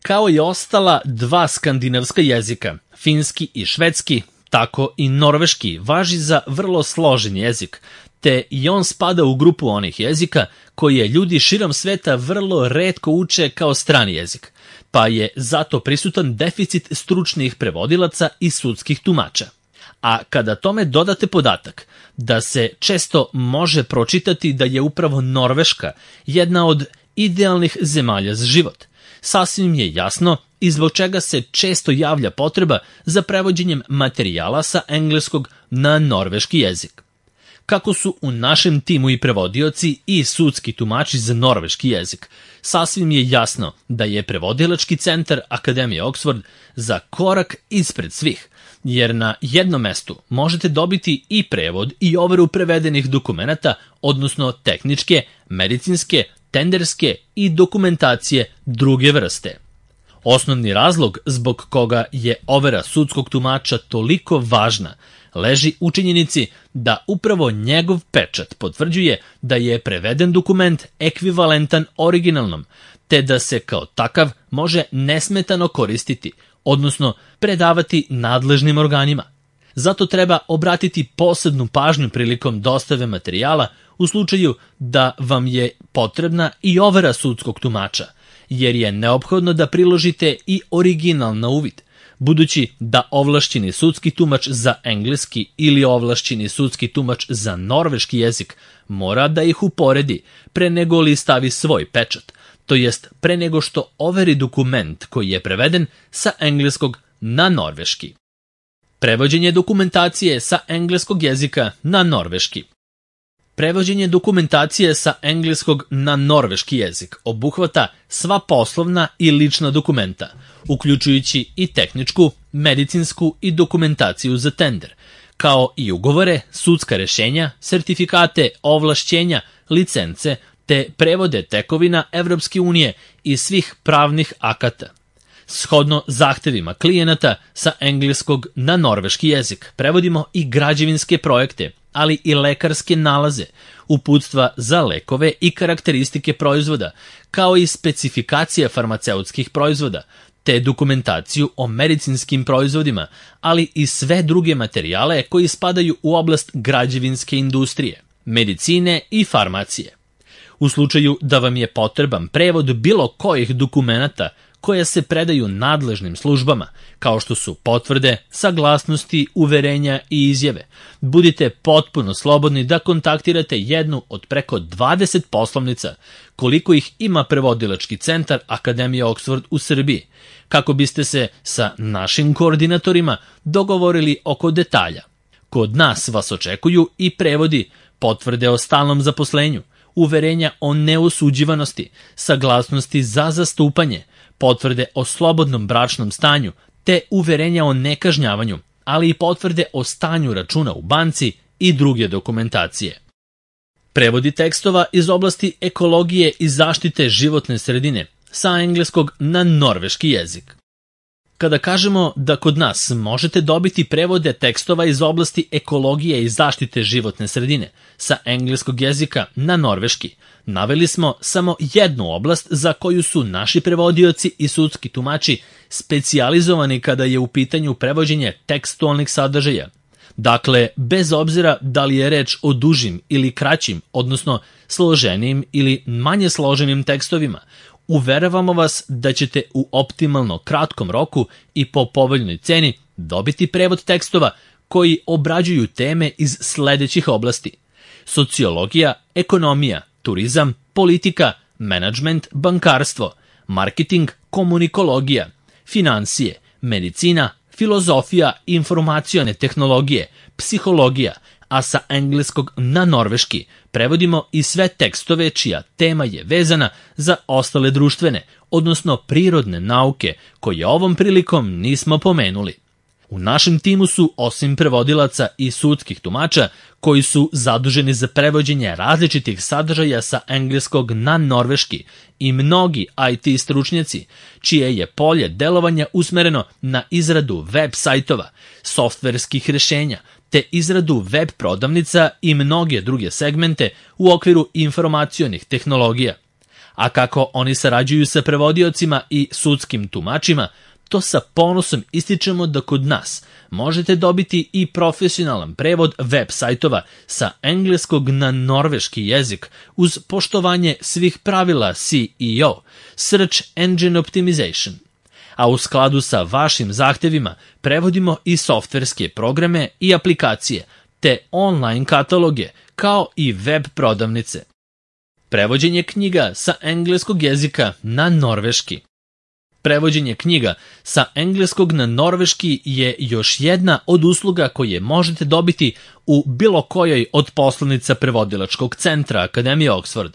Kao i ostala dva skandinavska jezika, finski i švedski, tako i norveški važi za vrlo složen jezik, te i on spada u grupu onih jezika koje ljudi širom sveta vrlo retko uče kao strani jezik, pa je zato prisutan deficit stručnih prevodilaca i sudskih tumača. A kada tome dodate podatak da se često može pročitati da je upravo Norveška jedna od idealnih zemalja za život, sasvim je jasno i zbog čega se često javlja potreba za prevođenjem materijala sa engleskog na norveški jezik. Kako su u našem timu i prevodioci i sudski tumači za norveški jezik, sasvim je jasno da je prevodilački centar Akademije Oxford za korak ispred svih, jer na jednom mestu možete dobiti i prevod i overu prevedenih dokumenata, odnosno tehničke, medicinske, tenderske i dokumentacije druge vrste. Osnovni razlog zbog koga je overa sudskog tumača toliko važna leži u činjenici da upravo njegov pečat potvrđuje da je preveden dokument ekvivalentan originalnom, te da se kao takav može nesmetano koristiti, odnosno predavati nadležnim organima. Zato treba obratiti posebnu pažnju prilikom dostave materijala u slučaju da vam je potrebna i overa sudskog tumača, jer je neophodno da priložite i original na uvid, budući da ovlašćeni sudski tumač za engleski ili ovlašćeni sudski tumač za norveški jezik mora da ih uporedi pre nego li stavi svoj pečat, to jest pre nego što overi dokument koji je preveden sa engleskog na norveški. Prevođenje dokumentacije sa engleskog jezika na norveški. Prevođenje dokumentacije sa engleskog na norveški jezik obuhvata sva poslovna i lična dokumenta, uključujući i tehničku, medicinsku i dokumentaciju za tender, kao i ugovore, sudska rešenja, sertifikate, ovlašćenja, licence, te prevode tekovina Evropske unije i svih pravnih akata. Shodno zahtevima klijenata sa engleskog na norveški jezik prevodimo i građevinske projekte, ali i lekarske nalaze, uputstva za lekove i karakteristike proizvoda, kao i specifikacija farmaceutskih proizvoda, te dokumentaciju o medicinskim proizvodima, ali i sve druge materijale koji spadaju u oblast građevinske industrije, medicine i farmacije. U slučaju da vam je potreban prevod bilo kojih dokumenata koje se predaju nadležnim službama, kao što su potvrde, saglasnosti, uverenja i izjave, budite potpuno slobodni da kontaktirate jednu od preko 20 poslovnica, koliko ih ima prevodilački centar Akademije Oxford u Srbiji, kako biste se sa našim koordinatorima dogovorili oko detalja. Kod nas vas očekuju i prevodi, potvrde o stalnom zaposlenju, uverenja o neosuđivanosti, saglasnosti za zastupanje, potvrde o slobodnom bračnom stanju, te uverenja o nekažnjavanju, ali i potvrde o stanju računa u banci i druge dokumentacije. Prevodi tekstova iz oblasti ekologije i zaštite životne sredine sa engleskog na norveški jezik. Kada kažemo da kod nas možete dobiti prevode tekstova iz oblasti ekologije i zaštite životne sredine sa engleskog jezika na norveški, naveli smo samo jednu oblast za koju su naši prevodioci i sudski tumači specijalizovani kada je u pitanju prevođenje tekstualnih sadržaja. Dakle, bez obzira da li je reč o dužim ili kraćim, odnosno složenijim ili manje složenim tekstovima, uveravamo vas da ćete u optimalno kratkom roku i po povoljnoj ceni dobiti prevod tekstova koji obrađuju teme iz sledećih oblasti: sociologija, ekonomija, turizam, politika, menadžment, bankarstvo, marketing, komunikologija, finansije, medicina, filozofija, informacione tehnologije, psihologija, a sa engleskog na norveški prevodimo i sve tekstove čija tema je vezana za ostale društvene, odnosno prirodne nauke, koje ovom prilikom nismo pomenuli. U našem timu su, osim prevodilaca i sudskih tumača, koji su zaduženi za prevođenje različitih sadržaja sa engleskog na norveški, i mnogi IT stručnjaci, čije je polje delovanja usmereno na izradu web sajtova, softverskih rešenja, te izradu web prodavnica i mnoge druge segmente u okviru informacionih tehnologija. A kako oni sarađuju sa prevodiocima i sudskim tumačima, to sa ponosom ističemo da kod nas možete dobiti i profesionalan prevod web sajtova sa engleskog na norveški jezik uz poštovanje svih pravila SEO, Search Engine Optimization. A u skladu sa vašim zahtevima prevodimo i softverske programe i aplikacije, te online kataloge, kao i web prodavnice. Prevođenje knjiga sa engleskog jezika na norveški. Prevođenje knjiga sa engleskog na norveški je još jedna od usluga koje možete dobiti u bilo kojoj od poslanica prevodilačkog centra Akademije Oxford.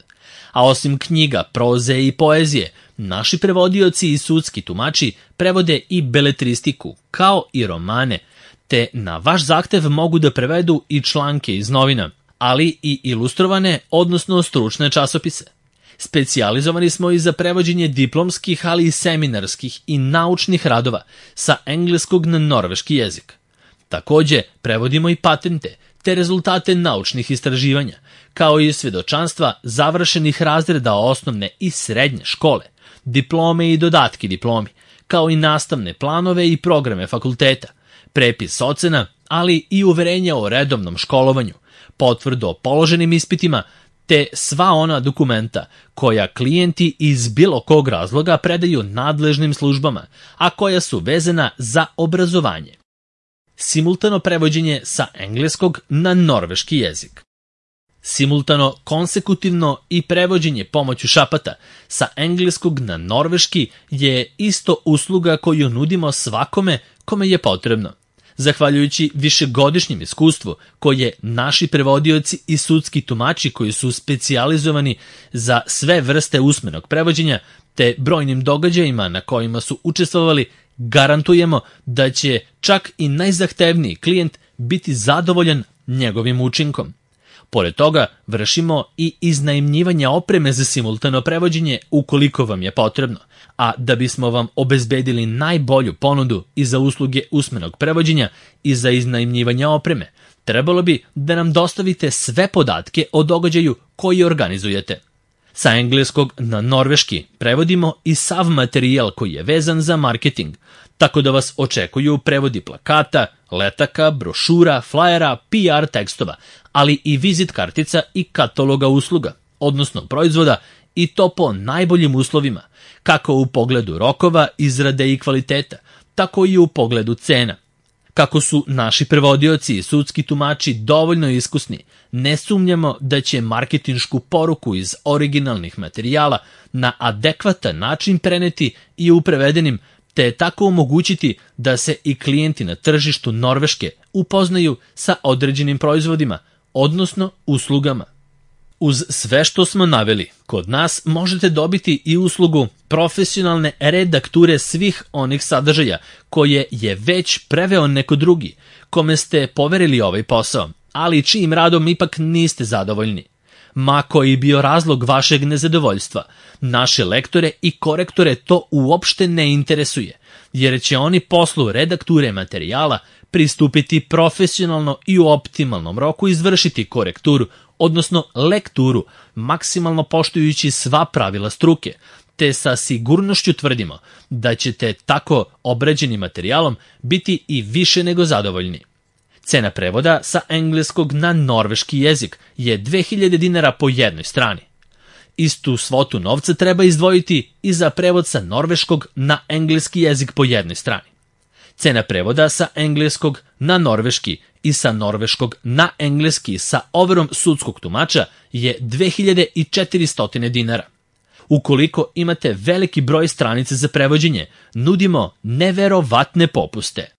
A osim knjiga, proze i poezije, naši prevodioci i sudski tumači prevode i beletristiku, kao i romane, te na vaš zahtev mogu da prevedu i članke iz novina, ali i ilustrovane, odnosno stručne časopise. Specijalizovani smo i za prevođenje diplomskih, ali i seminarskih i naučnih radova sa engleskog na norveški jezik. Takođe, prevodimo i patente, te rezultate naučnih istraživanja, kao i svjedočanstva završenih razreda osnovne i srednje škole, diplome i dodatki diplomi, kao i nastavne planove i programe fakulteta, prepis ocena, ali i uverenja o redovnom školovanju, potvrdu o položenim ispitima, te sva ona dokumenta koja klijenti iz bilo kog razloga predaju nadležnim službama, a koja su vezana za obrazovanje. Simultano prevođenje sa engleskog na norveški jezik. Simultano, konsekutivno i prevođenje pomoću šapata sa engleskog na norveški je isto usluga koju nudimo svakome kome je potrebno. Zahvaljujući višegodišnjem iskustvu koje naši prevodioci i sudski tumači koji su specijalizovani za sve vrste usmenog prevođenja te brojnim događajima na kojima su učestvovali, garantujemo da će čak i najzahtevniji klijent biti zadovoljan njegovim učinkom. Pored toga, vršimo i iznajmljivanje opreme za simultano prevođenje ukoliko vam je potrebno, a da bismo vam obezbedili najbolju ponudu i za usluge usmenog prevođenja i za iznajmljivanje opreme, trebalo bi da nam dostavite sve podatke o događaju koji organizujete. Sa engleskog na norveški prevodimo i sav materijal koji je vezan za marketing, tako da vas očekuju prevodi plakata, letaka, brošura, flajera, PR tekstova, ali i vizit kartica i kataloga usluga, odnosno proizvoda, i to po najboljim uslovima, kako u pogledu rokova, izrade i kvaliteta, tako i u pogledu cena. Kako su naši prevodioci i sudski tumači dovoljno iskusni, ne sumnjamo da će marketinšku poruku iz originalnih materijala na adekvatan način preneti i u prevedenim, te tako omogućiti da se i klijenti na tržištu Norveške upoznaju sa određenim proizvodima, odnosno uslugama. Uz sve što smo naveli, kod nas možete dobiti i uslugu profesionalne redakture svih onih sadržaja koje je već preveo neko drugi, kome ste poverili ovaj posao, ali čijim radom ipak niste zadovoljni. Ma koji bio razlog vašeg nezadovoljstva, naše lektore i korektore to uopšte ne interesuje, jer će oni poslu redakture materijala pristupiti profesionalno i u optimalnom roku izvršiti korekturu, odnosno lekturu, maksimalno poštujući sva pravila struke, te sa sigurnošću tvrdimo da ćete tako obrađenim materijalom biti i više nego zadovoljni. Cena prevoda sa engleskog na norveški jezik je 2000 dinara po jednoj strani. Istu svotu novca treba izdvojiti i za prevod sa norveškog na engleski jezik po jednoj strani. Cena prevoda sa engleskog na norveški i sa norveškog na engleski sa overom sudskog tumača je 2400 dinara. Ukoliko imate veliki broj stranica za prevođenje, nudimo neverovatne popuste.